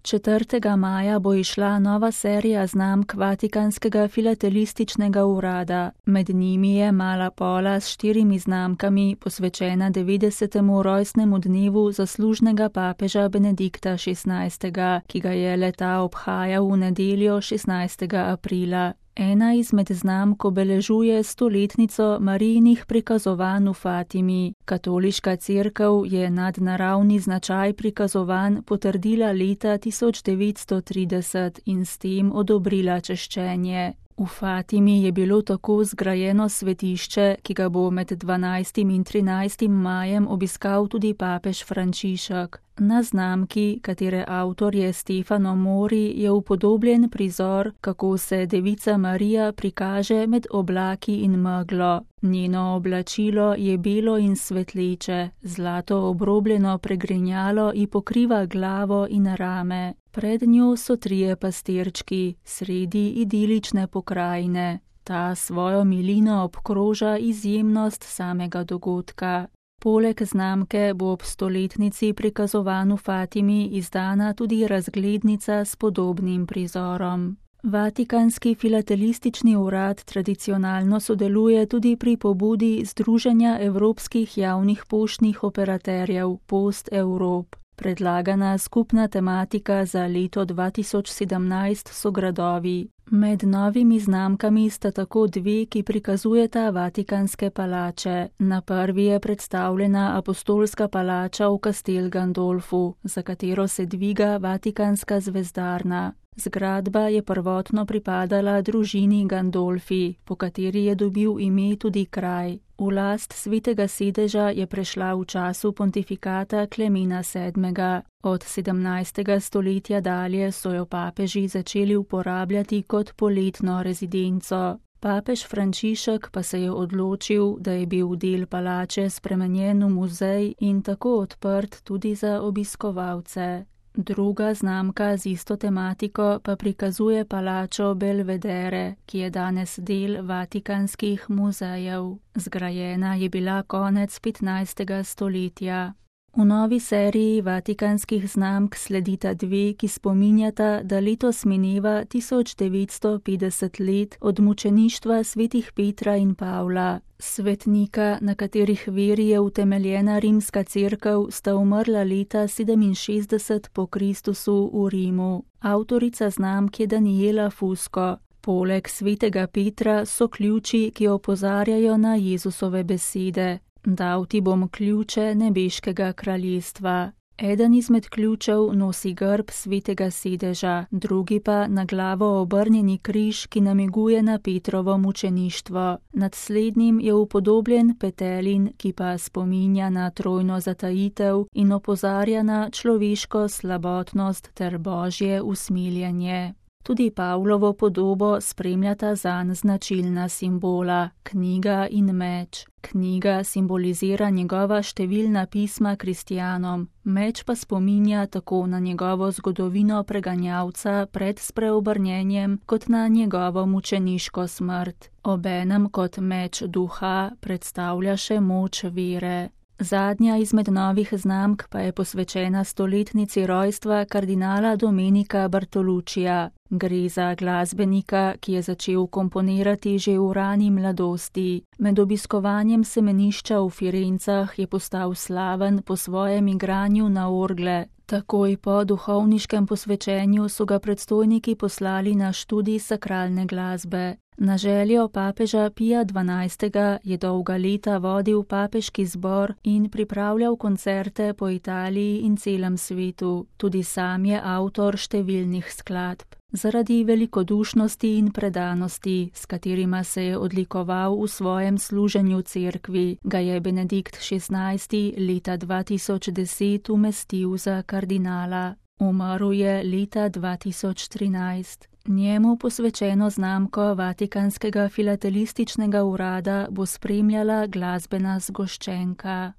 4. maja bo izšla nova serija znamk Vatikanskega filatelističnega urada. Med njimi je Mala pola s 4 znamkami, posvečena 90. rojstnemu dnevu zaslužnega papeža Benedikta XVI., ki ga je le-ta obhajal v nedeljo 16. aprila. Ena izmed znamk obeležuje 100-letnico Marijinih prikazovanj v Fatimi. Katoliška cerkev je nadnaravni značaj prikazovanj potrdila leta 1930 in s tem odobrila češčenje. V Fatimi je bilo tako zgrajeno svetišče, ki ga bo med 12. in 13. majem obiskal tudi papež Frančišek. Na znamki, katere avtor je Stefano Mori, je upodobljen prizor, kako se Devica Marija prikaže med oblaki in meglo. Njeno oblačilo je belo in svetleče, zlato obrobljeno pregrinjalo ji pokriva glavo in rame. Pred njo so 3 pastirčki, sredi idilične pokrajine. Ta svojo milino obkroža izjemnost samega dogodka. Poleg znamke bo ob 100-letnici prikazovanj v Fatimi izdana tudi razglednica s podobnim prizorom. Vatikanski filatelistični urad tradicionalno sodeluje tudi pri pobudi Združenja evropskih javnih poštnih operaterjev Post Europe. Predlagana skupna tematika za leto 2017 so gradovi. Med novimi znamkami sta tako 2, ki prikazujeta vatikanske palače. Na prvi je predstavljena apostolska palača v Castel Gandolfu, za katero se dviga vatikanska zvezdarna. Zgradba je prvotno pripadala družini Gandolfi, po kateri je dobil ime tudi kraj. V last Svetega sedeža je prešla v času pontifikata Klemena VII. Od 17. stoletja dalje so jo papeži začeli uporabljati kot poletno rezidenco. Papež Frančišek pa se je odločil, da je bil del palače spremenjen v muzej in tako odprt tudi za obiskovalce. Druga znamka z isto tematiko pa prikazuje palačo Belvedere, ki je danes del vatikanskih muzejev. Zgrajena je bila konec 15. stoletja. V novi seriji vatikanskih znamk sledita 2, ki spominjata, da letos mineva 1950 let od mučeništva svetih Petra in Pavla. Svetnika, na katerih veri je utemeljena rimska cerkev, sta umrla leta 67 po Kristusu v Rimu. Avtorica znamk je Daniela Fusco. Poleg svetega Petra so ključi, ki opozarjajo na Jezusove besede. Dal ti bom ključe nebeškega kraljestva. Eden izmed ključev nosi grb Svetega sedeža, drugi pa na glavo obrnjeni križ, ki namiguje na Petrovo mučeništvo. Nad slednjim je upodobljen petelin, ki pa spominja na trojno zatajitev in opozarja na človeško slabotnost ter božje usmiljenje. Tudi Pavlovo podobo spremljata zanj značilna simbola, knjiga in meč. Knjiga simbolizira njegova številna pisma kristjanom, meč pa spominja tako na njegovo zgodovino preganjalca pred spreobrnjenjem kot na njegovo mučeniško smrt. Obenem kot meč duha predstavlja še moč vere. Zadnja izmed novih znamk pa je posvečena 100-letnici rojstva kardinala Domenica Bartoluccija. Gre za glasbenika, ki je začel komponirati že v rani mladosti. Med obiskovanjem semenišča v Firencah je postal slaven po svojem igranju na orgle. Takoj po duhovniškem posvečenju so ga predstojniki poslali na študij sakralne glasbe. Na željo papeža Pija XII. Je dolga leta vodil papeški zbor in pripravljal koncerte po Italiji in celem svetu. Tudi sam je avtor številnih skladb. Zaradi velikodušnosti in predanosti, s katerima se je odlikoval v svojem služenju cerkvi, ga je Benedikt XVI. Leta 2010 umestil za kardinala. Umrl je leta 2013. Njemu posvečeno znamko Vatikanskega filatelističnega urada bo spremljala glasbena zgoščenka.